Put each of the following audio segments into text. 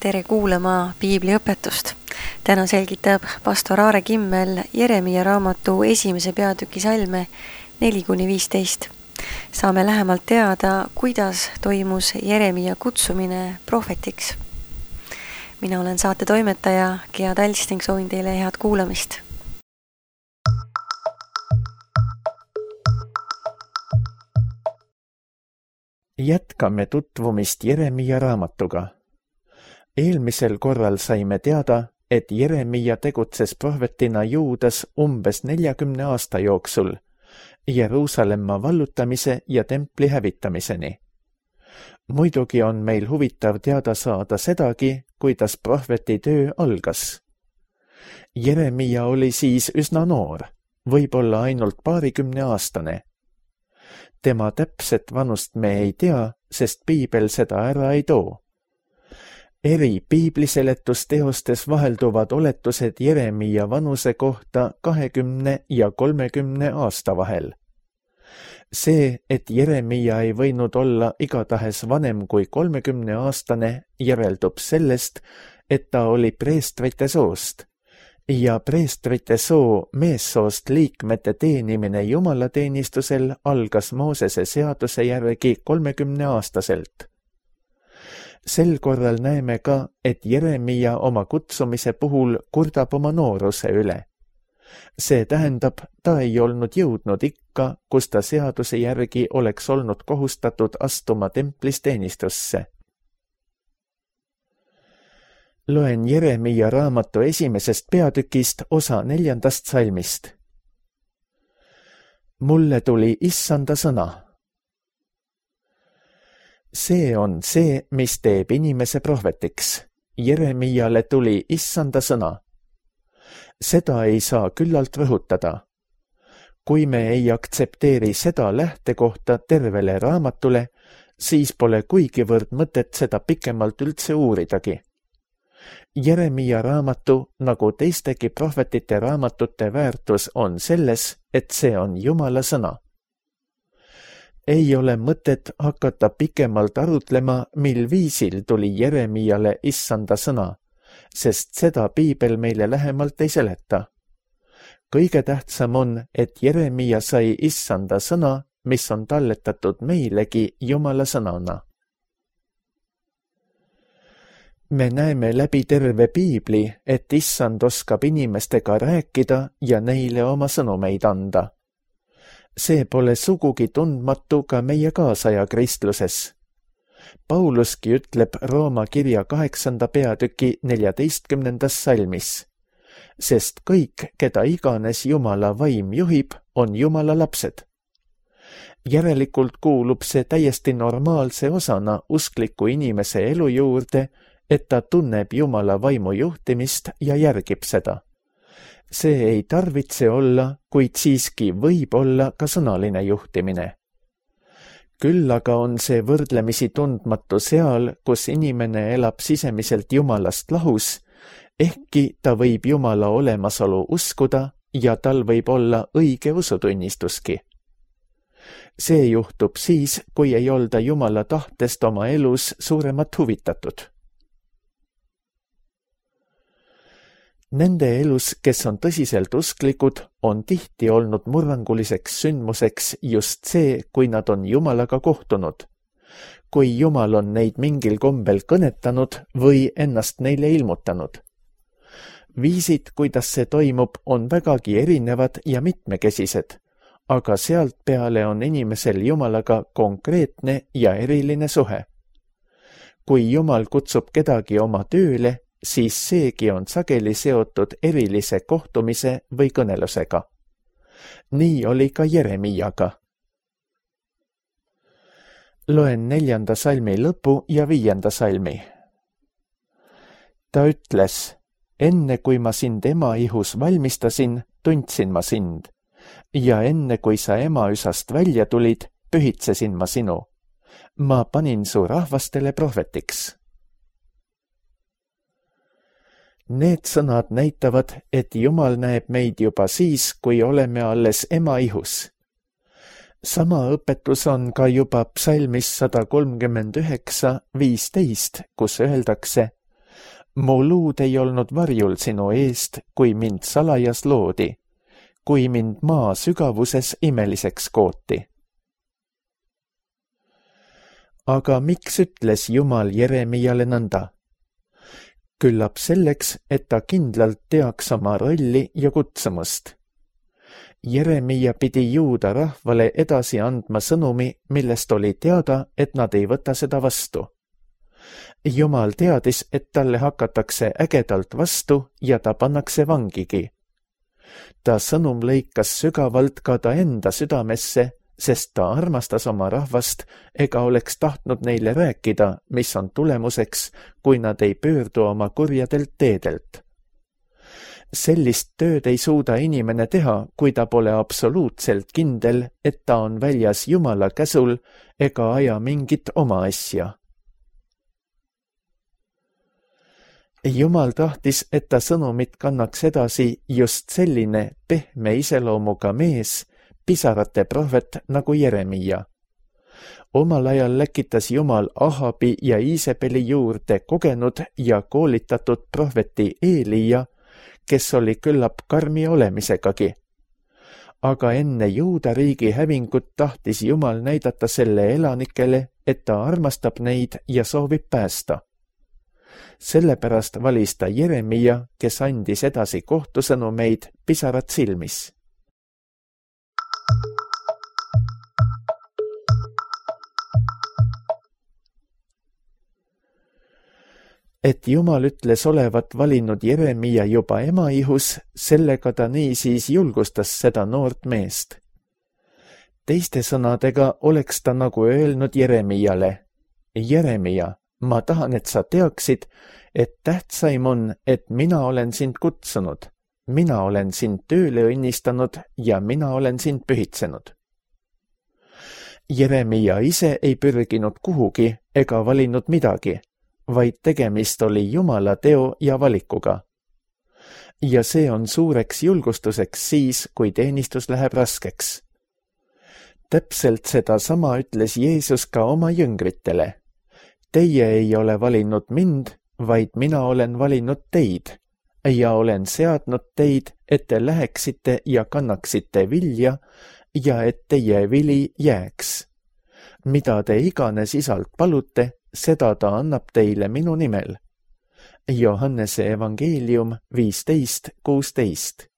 Tere kuulama piibliõpetust. Täna selgitab pastor Aare Kimmel Jeremia raamatu 1. peatüki salme 4-15. Saame lähemalt teada, kuidas toimus Jeremia kutsumine prohvetiks. Mina olen saate toimetaja Gea Talsting, soovin teile head kuulamist. Jätkame tutvumist Jeremia raamatuga. Eelmisel korral saime teada, et Jeremia tegutses prohvetina Juudas umbes 40 aasta jooksul, Jeruusalemma vallutamise ja templi hävitamiseni. Muidugi on meil huvitav teada saada sedagi, kuidas prohveti töö algas. Jeremia oli siis üsna noor, võib-olla ainult 20-aastane. Tema täpset vanust me ei tea, sest piibel seda ära ei too. Eri piibliseletusteostes vahelduvad oletused Jeremia vanuse kohta 20 ja 30 aasta vahel. See, et Jeremia ei võinud olla igatahes vanem kui 30-aastane, järeldub sellest, et ta oli preestrite soost. Ja preestrite soo meessoost liikmete teenimine jumalateenistusel algas Moosese seaduse järgi 30-aastaselt. Sel korral näeme ka, et Jeremia oma kutsumise puhul kurdab oma nooruse üle. See tähendab, ta ei olnud jõudnud ikka, kus ta seaduse järgi oleks olnud kohustatud astuma templis teenistusse. Loen Jeremia raamatu 1. peatükist osa 4. salmist. Mulle tuli Issanda sõna. See on see, mis teeb inimese prohvetiks. Jeremiale tuli Issanda sõna. Seda ei saa küllalt rõhutada. Kui me ei aktsepteeri seda lähtekohta tervele raamatule, siis pole kuigivõrd mõtet seda pikemalt üldse uuridagi. Jeremia raamatu, nagu teistegi prohvetite raamatute väärtus on selles, et see on Jumala sõna. Ei ole mõtet hakata pikemalt arutlema, mil viisil tuli Jeremiale Issanda sõna, sest seda piibel meile lähemalt ei seleta. Kõige tähtsam on, et Jeremia sai Issanda sõna, mis on talletatud meilegi Jumala sõnana. Me näeme läbi terve piibli, et Issand oskab inimestega rääkida ja neile oma sõnumeid anda. See pole sugugi tundmatu ka meie kaasaja kristluses. Pauluski ütleb Rooma kirja 8. peatüki 14. salmis, sest kõik, keda iganes Jumala vaim juhib, on Jumala lapsed. Järelikult kuulub see täiesti normaalse osana uskliku inimese elu juurde, et ta tunneb Jumala vaimu juhtimist ja järgib seda. See ei tarvitse olla, kuid siiski võib olla ka sõnaline juhtimine. Küll aga on see võrdlemisi tundmatu seal, kus inimene elab sisemiselt Jumalast lahus, ehkki ta võib Jumala olemasolu uskuda ja tal võib olla õige usutunnistuski. See juhtub siis, kui ei olda Jumala tahtest oma elus suuremat huvitatud. Nende elus, kes on tõsiselt usklikud, on tihti olnud murranguliseks sündmuseks just see, kui nad on Jumalaga kohtunud. Kui Jumal on neid mingil kombel kõnetanud või ennast neile ilmutanud. Viisid, kuidas see toimub, on vägagi erinevad ja mitmekesised, aga sealt peale on inimesel Jumalaga konkreetne ja eriline suhe. Kui Jumal kutsub kedagi oma tööle, siis seegi on sageli seotud erilise kohtumise või kõnelusega. Nii oli ka Jeremiaga. Loen 4. salmi lõpu ja 5. salmi. Ta ütles, enne kui ma sind ema ihus valmistasin, tundsin ma sind, ja enne kui sa emaüsast välja tulid, pühitsesin ma sinu. Ma panin su rahvastele prohvetiks. Need sõnad näitavad, et Jumal näeb meid juba siis, kui oleme alles ema ihus. Sama õpetus on ka juba psalmis 139:15, kus öeldakse, mu luud ei olnud varjul sinu eest, kui mind salajas loodi, kui mind maa sügavuses imeliseks kooti. Aga miks ütles Jumal Jeremiale nõnda? Küllap selleks, et ta kindlalt teaks oma rolli ja kutsumust. Jeremia pidi Juuda rahvale edasi andma sõnumi, millest oli teada, et nad ei võta seda vastu. Jumal teadis, et talle hakatakse ägedalt vastu ja ta pannakse vangigi. Ta sõnum lõikas sügavalt ka ta enda südamesse, sest ta armastas oma rahvast ega oleks tahtnud neile rääkida, mis on tulemuseks, kui nad ei pöördu oma kurjadelt teedelt. Sellist tööd ei suuda inimene teha, kui ta pole absoluutselt kindel, et ta on väljas Jumala käsul ega aja mingit oma asja. Jumal tahtis, et ta sõnumit kannaks edasi just selline pehme iseloomuga mees, pisarate prohvet nagu Jeremia. Omal ajal läkitas Jumal Ahabi ja Iisebeli juurde kogenud ja koolitatud prohveti Eelia, kes oli küllap karmi olemisegagi. Aga enne Juuda riigi hävingut tahtis Jumal näidata selle elanikele, et ta armastab neid ja soovib päästa. Sellepärast valis ta Jeremia, kes andis edasi kohtusõnumeid pisarad silmis. Et Jumal ütles olevat valinud Jeremia juba emaihus, sellega ta niisiis julgustas seda noort meest. Teiste sõnadega oleks ta nagu öelnud Jeremiale: Jeremia, ma tahan, et sa teaksid, et tähtsaim on, et mina olen sind kutsunud, mina olen sind tööle õnnistanud ja mina olen sind pühitsenud. Jeremia ise ei pürginud kuhugi ega valinud midagi, vaid tegemist oli Jumala teo ja valikuga. Ja see on suureks julgustuseks siis, kui teenistus läheb raskeks. Täpselt seda sama ütles Jeesus ka oma jüngritele. Teie ei ole valinud mind, vaid mina olen valinud teid ja olen seadnud teid, et te läheksite ja kannaksite vilja ja et teie vili jääks. Mida te iganes isalt palute, seda ta annab teile minu nimel. Johannese evangeelium 15:16.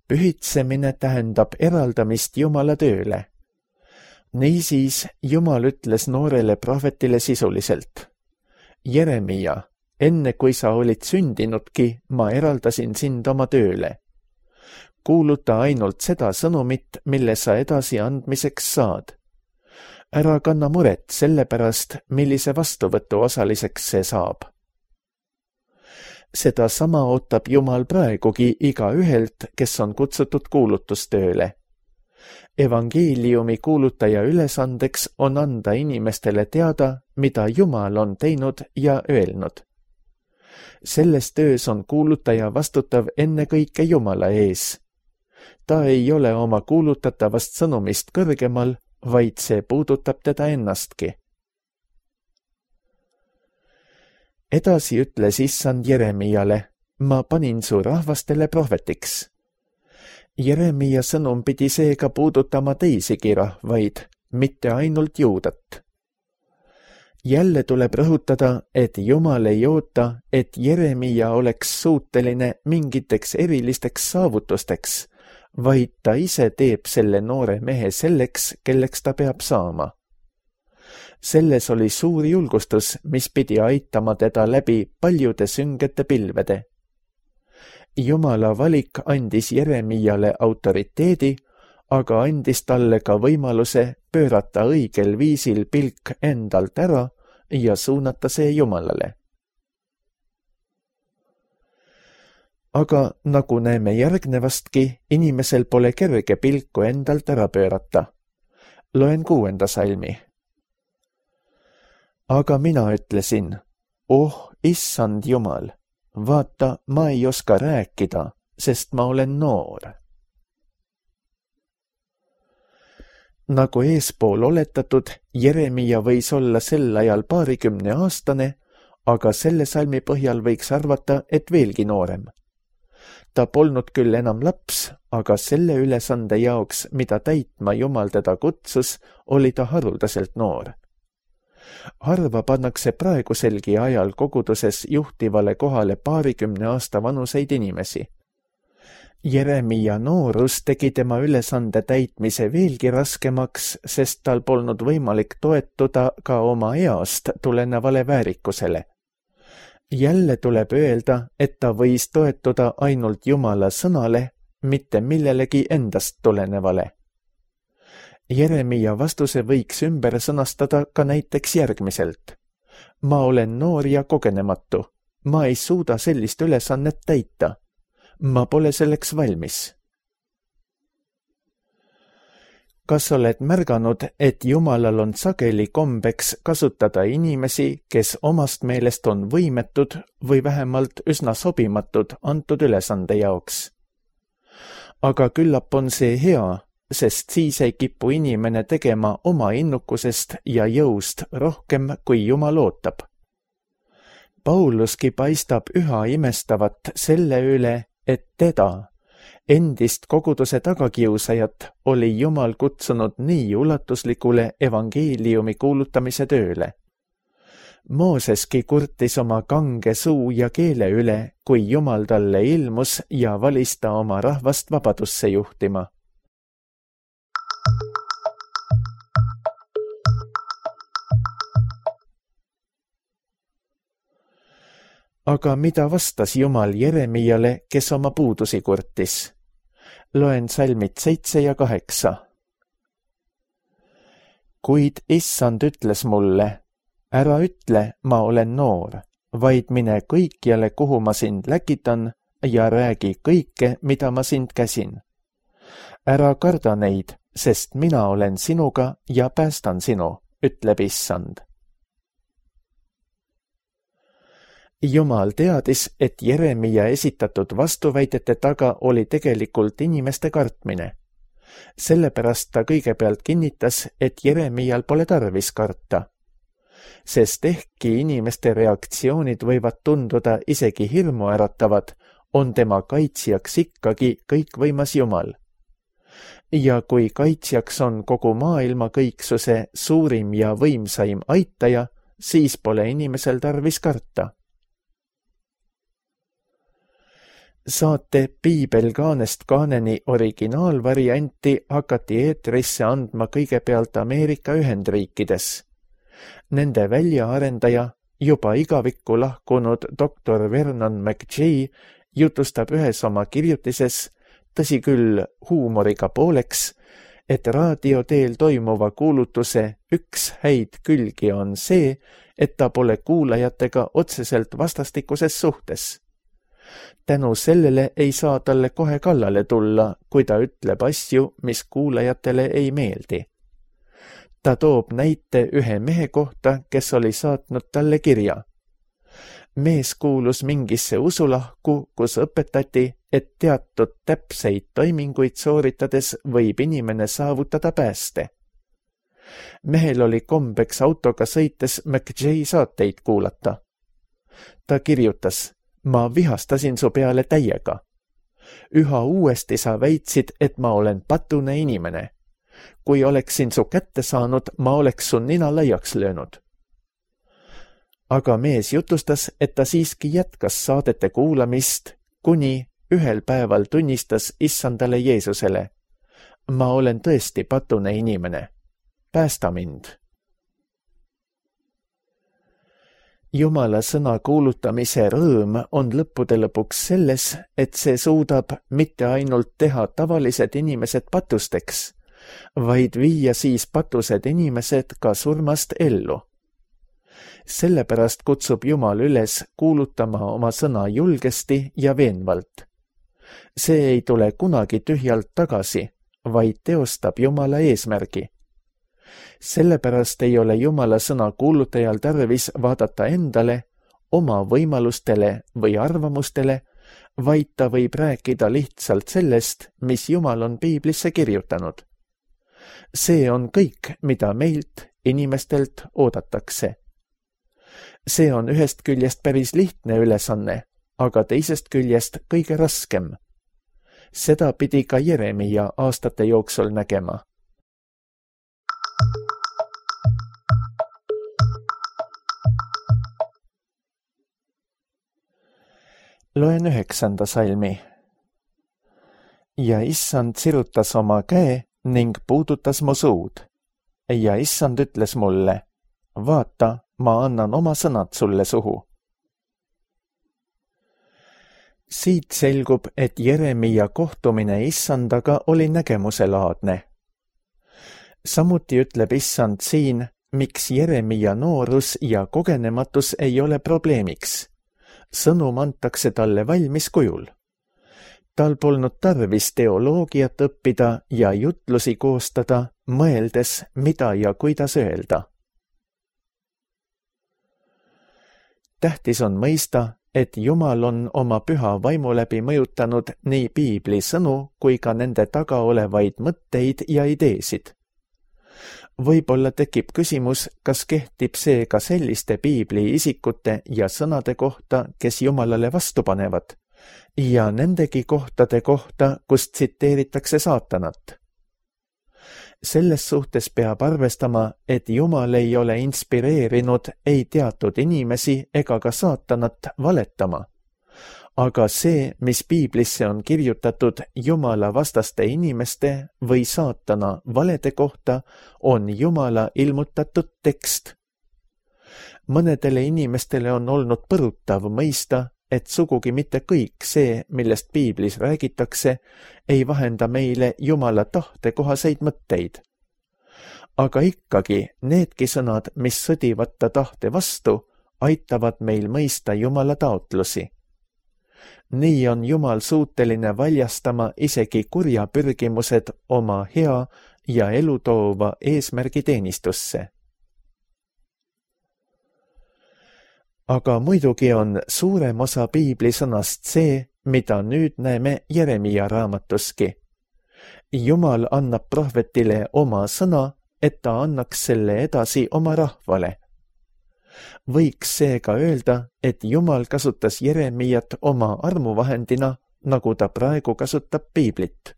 Pühitsemine tähendab eraldamist Jumala tööle. Niisiis Jumal ütles noorele prohvetile sisuliselt: Jeremia, enne kui sa olid sündinudki, ma eraldasin sind oma tööle. Kuuluta ainult seda sõnumit, mille sa edasi andmiseks saad. Ära kanna muret selle pärast, millise vastuvõtu osaliseks see saab. Seda sama ootab Jumal praegugi igaühelt, kes on kutsutud kuulutustööle. Evangeeliumi kuulutaja ülesandeks on anda inimestele teada, mida Jumal on teinud ja öelnud. Selles töös on kuulutaja vastutav ennekõike Jumala ees. Ta ei ole oma kuulutatavast sõnumist kõrgemal, vaid see puudutab teda ennastki. Edasi ütles Issand Jeremiale: ma panin su rahvastele prohvetiks. Jeremia sõnum pidi seega puudutama teisigi rahvaid, mitte ainult Juudat. Jälle tuleb rõhutada, et Jumal ei oota, et Jeremia oleks suuteline mingiteks erilisteks saavutusteks, vaid ta ise teeb selle noore mehe selleks, kelleks ta peab saama. Selles oli suur julgustus, mis pidi aitama teda läbi paljude süngete pilvede. Jumala valik andis Jeremiale autoriteedi, aga andis talle ka võimaluse pöörata õigel viisil pilk endalt ära ja suunata see Jumalale. Aga nagu näeme järgnevastki, inimesel pole kerge pilku endalt ära pöörata. Loen 6. salmi. Aga mina ütlesin: issand Jumal, vaata, ma ei oska rääkida, sest ma olen noor. Nagu eespool oletatud, Jeremia võis olla sel ajal 20-aastane, aga selle salmi põhjal võiks arvata, et veelgi noorem. Ta polnud küll enam laps, aga selle ülesande jaoks, mida täitma Jumal teda kutsus, oli ta haruldaselt noor. Harva pannakse praeguselgi ajal koguduses juhtivale kohale 20 aasta vanuseid inimesi. Jeremia noorus tegi tema ülesande täitmise veelgi raskemaks, sest tal polnud võimalik toetuda ka oma east tulenevale väärikusele. Jälle tuleb öelda, et ta võis toetuda ainult Jumala sõnale, mitte millelegi endast tulenevale. Jeremia vastuse võiks ümber sõnastada ka näiteks järgmiselt. Ma olen noor ja kogenematu. Ma ei suuda sellist ülesannet täita. Ma pole selleks valmis. Kas oled märganud, et Jumalal on sageli kombeks kasutada inimesi, kes omast meelest on võimetud või vähemalt üsna sobimatud antud ülesande jaoks? Aga küllap on see hea, sest siis ei kipu inimene tegema oma innukusest ja jõust rohkem, kui Jumal ootab. Pauluski paistab üha imestavat selle üle, et teda, endist koguduse tagakiusajat, oli Jumal kutsunud nii ulatuslikule evangeeliumi kuulutamise tööle. Mooseski kurtis oma kange suu ja keele üle, kui Jumal talle ilmus ja valis ta oma rahvast vabadusse juhtima. Aga mida vastas Jumal Jeremiale, kes oma puudusi kurtis? Loen salmid 7 ja 8. Kuid issand ütles mulle, ära ütle, ma olen noor, vaid mine kõikjale, kuhu ma sind läkitan, ja räägi kõike, mida ma sind käsin. Ära karda neid, sest mina olen sinuga ja päästan sinu, ütleb issand. Jumal teadis, et Jeremia esitatud vastuväidete taga oli tegelikult inimeste kartmine. Sellepärast ta kõigepealt kinnitas, et Jeremial pole tarvis karta. Sest ehkki inimeste reaktsioonid võivad tunduda isegi hirmuäratavad, on tema kaitsjaks ikkagi kõikvõimas Jumal. Ja kui kaitsjaks on kogu maailma kõiksuse suurim ja võimsaim aitaja, siis pole inimesel tarvis karta. Saate Piibel kaanest kaaneni originaalvarianti hakati eetrisse andma kõigepealt Ameerika Ühendriikides. Nende väljaarendaja, juba igavikku lahkunud doktor Vernon McGee jutustab ühes oma kirjutises, tõsi küll huumoriga pooleks, et raadioteel toimuva kuulutuse üks häid külgi on see, et ta pole kuulajatega otseselt vastastikuses suhtes. Tänu sellele ei saa talle kohe kallale tulla, kui ta ütleb asju, mis kuulajatele ei meeldi. Ta toob näite ühe mehe kohta, kes oli saatnud talle kirja. Mees kuulus mingisse usulahku, kus õpetati, et teatud täpseid toiminguid sooritades võib inimene saavutada pääste. Mehel oli kombeks autoga sõites McGee saateid kuulata. Ta kirjutas, ma vihastasin su peale täiega. Üha uuesti sa väitsid, et ma olen patune inimene. Kui oleksin su kätte saanud, ma oleks su nina laiaks löönud. Aga mees jutustas, et ta siiski jätkas saadete kuulamist, kuni ühel päeval tunnistas issandale Jeesusele. Ma olen tõesti patune inimene. Päästa mind. Jumala sõna kuulutamise rõõm on lõppude lõpuks selles, et see suudab mitte ainult teha tavalised inimesed patusteks, vaid viia siis patused inimesed ka surmast ellu. Sellepärast kutsub Jumal üles kuulutama oma sõna julgesti ja veenvalt. See ei tule kunagi tühjalt tagasi, vaid teostab Jumala eesmärgi. Sellepärast ei ole Jumala sõna kuulutajal tarvis vaadata endale, oma võimalustele või arvamustele, vaid ta võib rääkida lihtsalt sellest, mis Jumal on Piiblisse kirjutanud. See on kõik, mida meilt, inimestelt oodatakse. See on ühest küljest päris lihtne ülesanne, aga teisest küljest kõige raskem. Seda pidi ka Jeremia aastate jooksul nägema. Loen 9. salmi. Ja issand sirutas oma käe ning puudutas mu suud. Ja issand ütles mulle, vaata, ma annan oma sõnad sulle suhu. Siit selgub, et Jeremia kohtumine issandaga oli nägemuselaadne. Samuti ütleb issand siin, miks Jeremia noorus ja kogenematus ei ole probleemiks. Sõnum antakse talle valmis kujul. Tal polnud tarvis teoloogiat õppida ja jutlusi koostada, mõeldes, mida ja kuidas öelda. Tähtis on mõista, et Jumal on oma püha vaimu läbi mõjutanud nii piibli sõnu kui ka nende taga olevaid mõtteid ja ideesid. Võib-olla tekib küsimus, kas kehtib see ka selliste piibli isikute ja sõnade kohta, kes Jumalale vastu panevad, ja nendegi kohtade kohta, kus tsiteeritakse saatanat. Selles suhtes peab arvestama, et Jumal ei ole inspireerinud ei teatud inimesi ega ka saatanat valetama. Aga see, mis piiblisse on kirjutatud Jumala vastaste inimeste või saatana valede kohta, on Jumala ilmutatud tekst. Mõnedele inimestele on olnud põrutav mõista, et sugugi mitte kõik see, millest piiblis räägitakse, ei vahenda meile Jumala tahte kohaseid mõtteid. Aga ikkagi needki sõnad, mis sõdivad ta tahte vastu, aitavad meil mõista Jumala taotlusi. Nii on Jumal suuteline valjastama isegi kurja pürgimused oma hea ja elutoova eesmärgi teenistusse. Aga muidugi on suurem osa piibli sõnast see, mida nüüd näeme Jeremia raamatuski. Jumal annab prohvetile oma sõna, et ta annaks selle edasi oma rahvale. Võiks seega öelda, et Jumal kasutas Jeremiat oma armuvahendina, nagu ta praegu kasutab piiblit.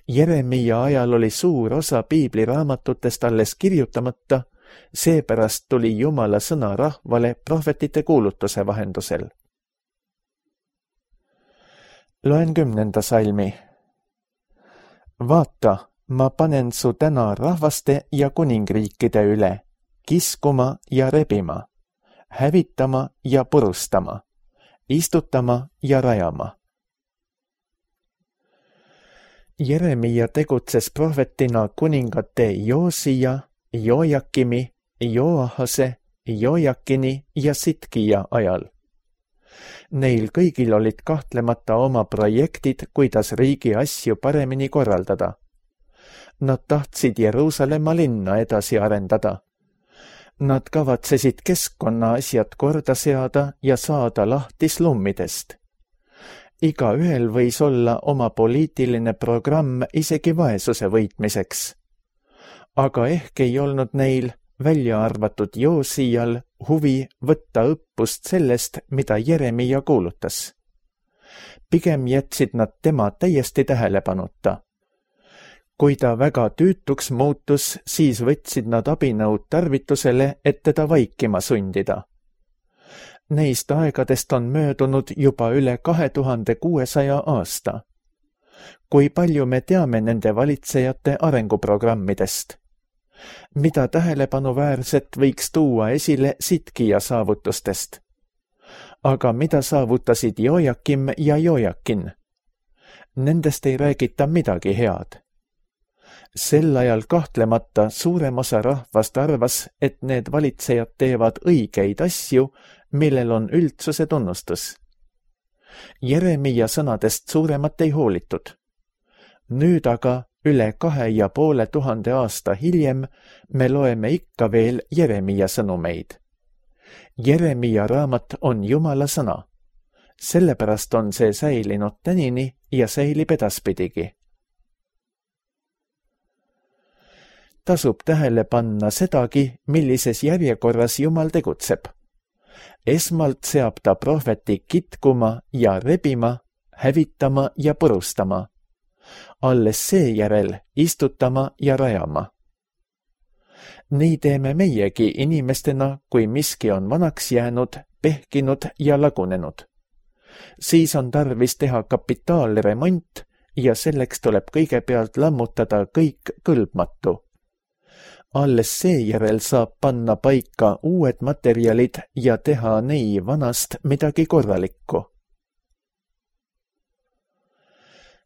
Jeremia ajal oli suur osa piibliraamatutest alles kirjutamata, seepärast tuli Jumala sõna rahvale prohvetite kuulutuse vahendusel. Loen 10. salmi. Vaata, ma panen su täna rahvaste ja kuningriikide üle, kiskuma ja rebima, hävitama ja purustama, istutama ja rajama. Jeremia tegutses prohvetina kuningate Joosia, Jojakimi, Joahase, Jojakini ja Sitkija ajal. Neil kõigil olid kahtlemata oma projektid, kuidas riigi asju paremini korraldada. Nad tahtsid Jeruusalemma linna edasi arendada. Nad kavatsesid keskkonna asjad korda seada ja saada lahti slummidest. Igaühel võis olla oma poliitiline programm isegi vaesuse võitmiseks. Aga ehk ei olnud neil, välja arvatud Joosijal, huvi võtta õppust sellest, mida Jeremia kuulutas. Pigem jätsid nad tema täiesti tähelepanuta. Kui ta väga tüütuks muutus, siis võtsid nad abinõud tarvitusele, et teda vaikima sundida. Neist aegadest on möödunud juba üle 2600 aasta. Kui palju me teame nende valitsejate arenguprogrammidest? Mida tähelepanuväärset võiks tuua esile Sitkija saavutustest? Aga mida saavutasid Jojakim ja Jojakin? Nendest ei räägita midagi head. Sel ajal kahtlemata suurem osa rahvast arvas, et need valitsejad teevad õigeid asju, millel on üldsuse tunnustus. Jeremia sõnadest suuremat ei hoolitud. Nüüd aga üle 2500 aasta hiljem me loeme ikka veel Jeremia sõnumeid. Jeremia raamat on Jumala sõna. Sellepärast on see säilinud tänini ja säilib edaspidigi. tasub tähele panna sedagi, millises järjekorras Jumal tegutseb. Esmalt seab ta prohveti kitkuma ja rebima, hävitama ja purustama. Alles seejärel istutama ja rajama. Nii teeme meiegi inimestena, kui miski on vanaks jäänud, pehkinud ja lagunenud. Siis on tarvis teha kapitaalremont ja selleks tuleb kõigepealt lammutada kõik kõlbmatu. Alles seejärel saab panna paika uued materjalid ja teha nii vanast midagi korralikku.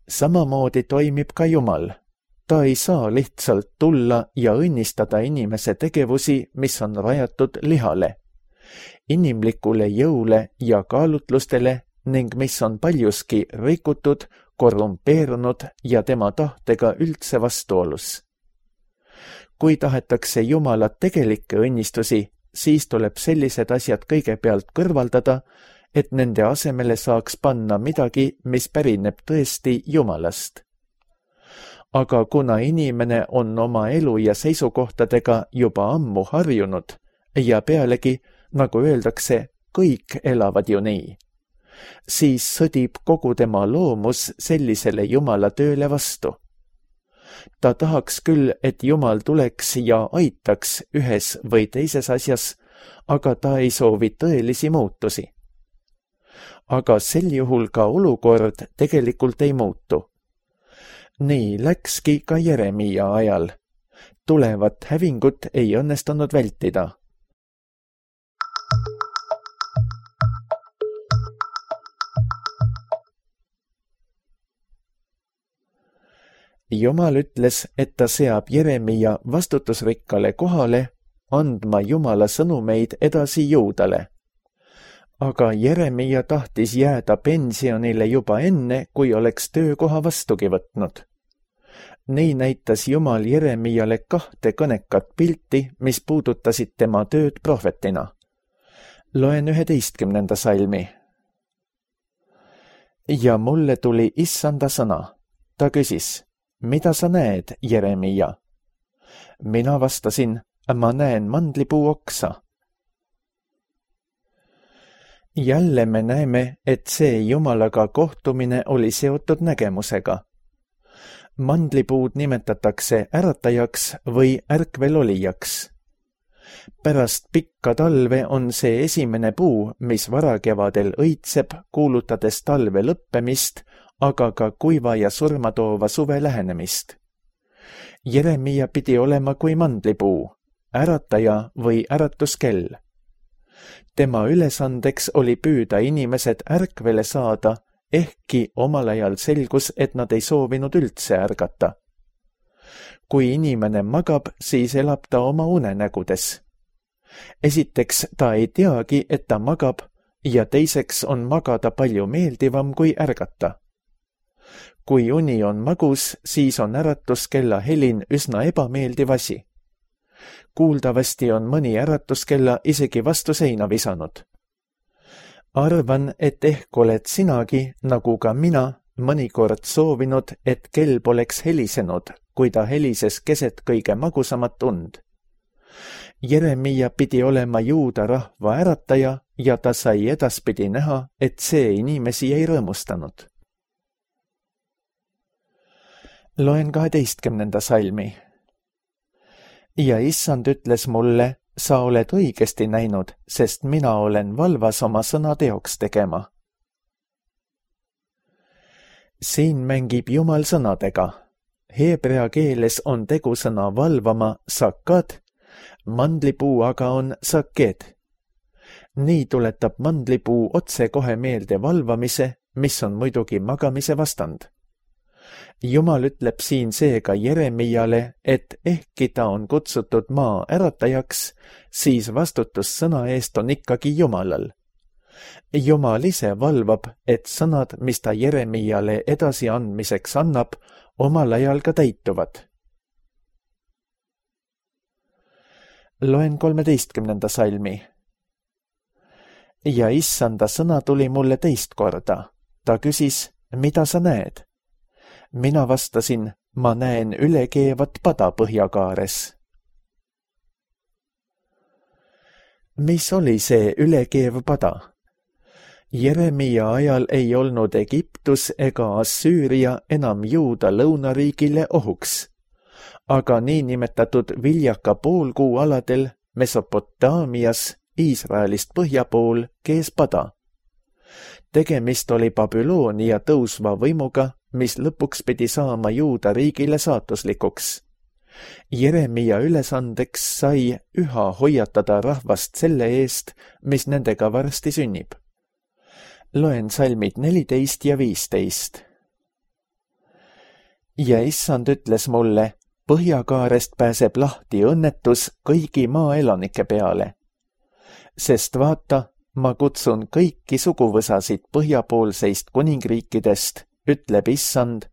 Samamoodi toimib ka Jumal. Ta ei saa lihtsalt tulla ja õnnistada inimese tegevusi, mis on rajatud lihale, inimlikule jõule ja kaalutlustele ning mis on paljuski rikutud, korrumpeerunud ja tema tahtega üldse vastuolus. Kui tahetakse Jumala tegelikke õnnistusi, siis tuleb sellised asjad kõigepealt kõrvaldada, et nende asemele saaks panna midagi, mis pärineb tõesti Jumalast. Aga kuna inimene on oma elu ja seisukohtadega juba ammu harjunud ja pealegi, nagu öeldakse, kõik elavad ju nii, siis sõdib kogu tema loomus sellisele Jumala tööle vastu. Ta tahaks küll, et Jumal tuleks ja aitaks ühes või teises asjas, aga ta ei soovi tõelisi muutusi. Aga sel juhul ka olukord tegelikult ei muutu. Nii läkski ka Jeremia ajal. Tulevat hävingut ei õnnestunud vältida. Jumal ütles, et ta seab Jeremia vastutusrikkale kohale andma Jumala sõnumeid edasi Juudale. Aga Jeremia tahtis jääda pensionile juba enne, kui oleks töökoha vastugi võtnud. Nii näitas Jumal Jeremiale 2 kõnekat pilti, mis puudutasid tema tööd prohvetina. Loen 11. salmi. Ja mulle tuli Issanda sõna. Ta küsis, mida sa näed, Jeremia? Mina vastasin, ma näen mandlipuu oksa. Jälle me näeme, et see Jumalaga kohtumine oli seotud nägemusega. Mandlipuud nimetatakse äratajaks või ärkvelolijaks. Pärast pikka talve on see esimene puu, mis varakevadel õitseb, kuulutades talve lõppemist, aga ka kuiva ja surmatoova suve lähenemist. Jeremia pidi olema kui mandlipuu, ärataja või äratuskell. Tema ülesandeks oli püüda inimesed ärkvele saada, ehkki omal ajal selgus, et nad ei soovinud üldse ärgata. Kui inimene magab, siis elab ta oma unenägudes. Esiteks ta ei teagi, et ta magab, ja teiseks on magada palju meeldivam kui ärgata. Kui uni on magus, siis on äratuskella helin üsna ebameeldiv asi. Kuuldavasti on mõni äratuskella isegi vastu seina visanud. Arvan, et ehk oled sinagi, nagu ka mina, mõnikord soovinud, et kell poleks helisenud, kui ta helises keset kõige magusamat und. Jeremia pidi olema Juuda rahva ärataja ja ta sai edaspidi näha, et see inimesi ei rõõmustanud. Loen 12. salmi. Ja Issand ütles mulle, sa oled õigesti näinud, sest mina olen valvas oma sõna teoks tegema. Siin mängib Jumal sõnadega. Heebrea keeles on tegusõna valvama sakad, mandlipuu aga on saked. Nii tuletab mandlipuu otsekohe meelde valvamise, mis on muidugi magamise vastand. Jumal ütleb siin seega Jeremiale, et ehkki ta on kutsutud maa äratajaks, siis vastutus sõna eest on ikkagi Jumalal. Jumal ise valvab, et sõnad, mis ta Jeremiale edasiandmiseks annab, omal ajal ka täituvad. Loen 13. salmi. Ja Issanda sõna tuli mulle teist korda. Ta küsis, mida sa näed? Mina vastasin, ma näen ülekeevat pada põhjakaares. Mis oli see ülekeev pada? Jeremia ajal ei olnud Egiptus ega Assüüria enam Juuda lõunariigile ohuks, aga niinimetatud viljaka poolkuu aladel Mesopotaamias Iisraelist põhja pool kees pada. Tegemist oli Babyloonia tõusva võimuga, mis lõpuks pidi saama Juuda riigile saatuslikuks. Jeremia ülesandeks sai üha hoiatada rahvast selle eest, mis nendega varsti sünnib. Loen salmid 14 ja 15. Ja issand ütles mulle, põhjakaarest pääseb lahti õnnetus kõigi maaelanike peale. Sest vaata, ma kutsun kõiki suguvõsasid põhjapoolseist kuningriikidest, ütleb issand,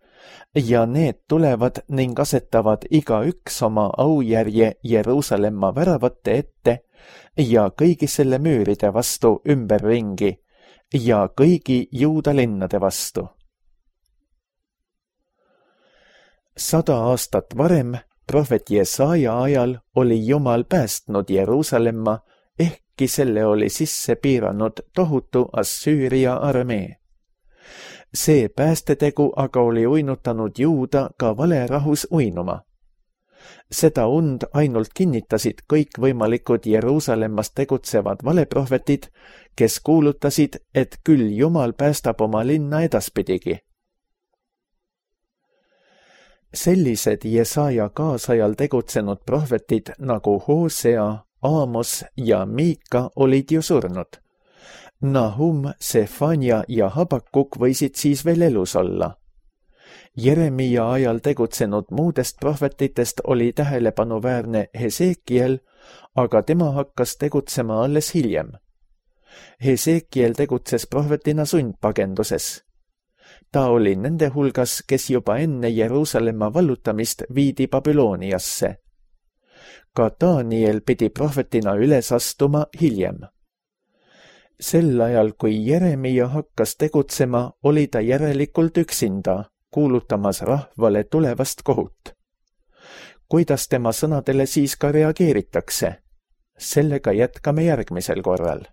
ja need tulevad ning asetavad igaüks oma aujärje Jeruusalemma väravate ette ja kõigi selle müüride vastu ümberringi ja kõigi Juuda linnade vastu. 100 aastat varem, prohvet Jesaja ajal, oli Jumal päästnud Jeruusalemma, ehkki selle oli sisse piiranud tohutu Assüüria armee. See päästetegu aga oli uinutanud Juuda ka valerahus uinuma. Seda und ainult kinnitasid kõikvõimalikud Jeruusalemmas tegutsevad valeprohvetid, kes kuulutasid, et küll Jumal päästab oma linna edaspidigi. Sellised Jesaja kaasajal tegutsenud prohvetid nagu Hosea, Aamos ja Miika olid ju surnud. Nahum, Sefania ja Habakuk võisid siis veel elus olla. Jeremia ajal tegutsenud muudest prohvetitest oli tähelepanuväärne Hesekiel, aga tema hakkas tegutsema alles hiljem. Hesekiel tegutses prohvetina sundpagenduses. Ta oli nende hulgas, kes juba enne Jeruusalemma vallutamist viidi Babyloniasse. Ka Daniel pidi prohvetina üles astuma hiljem. Sel ajal, kui Jeremia hakkas tegutsema, oli ta järelikult üksinda, kuulutamas rahvale tulevast kohut. Kuidas tema sõnadele siis ka reageeritakse? Sellega jätkame järgmisel korral.